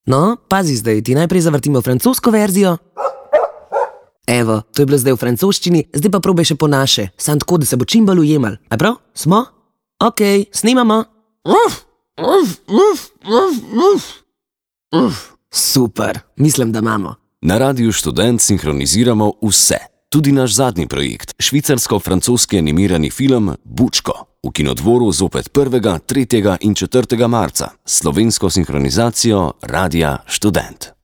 No, pazi zdaj, ti najprej zavrtimo francosko verzijo. Evo, to je bilo zdaj v francoščini, zdaj pa probaj še po naše, samo tako, da se bo čim bolj ujemal. A prav? Smo? Okej, snimamo. Super, mislim, da imamo. Na Radiu Študent sinhroniziramo vse. Tudi naš zadnji projekt, švicarsko-francoski animirani film Bučko, v Kinodvoru zopet 1., 3. in 4. marca, s slovensko sinhronizacijo Radia Študent.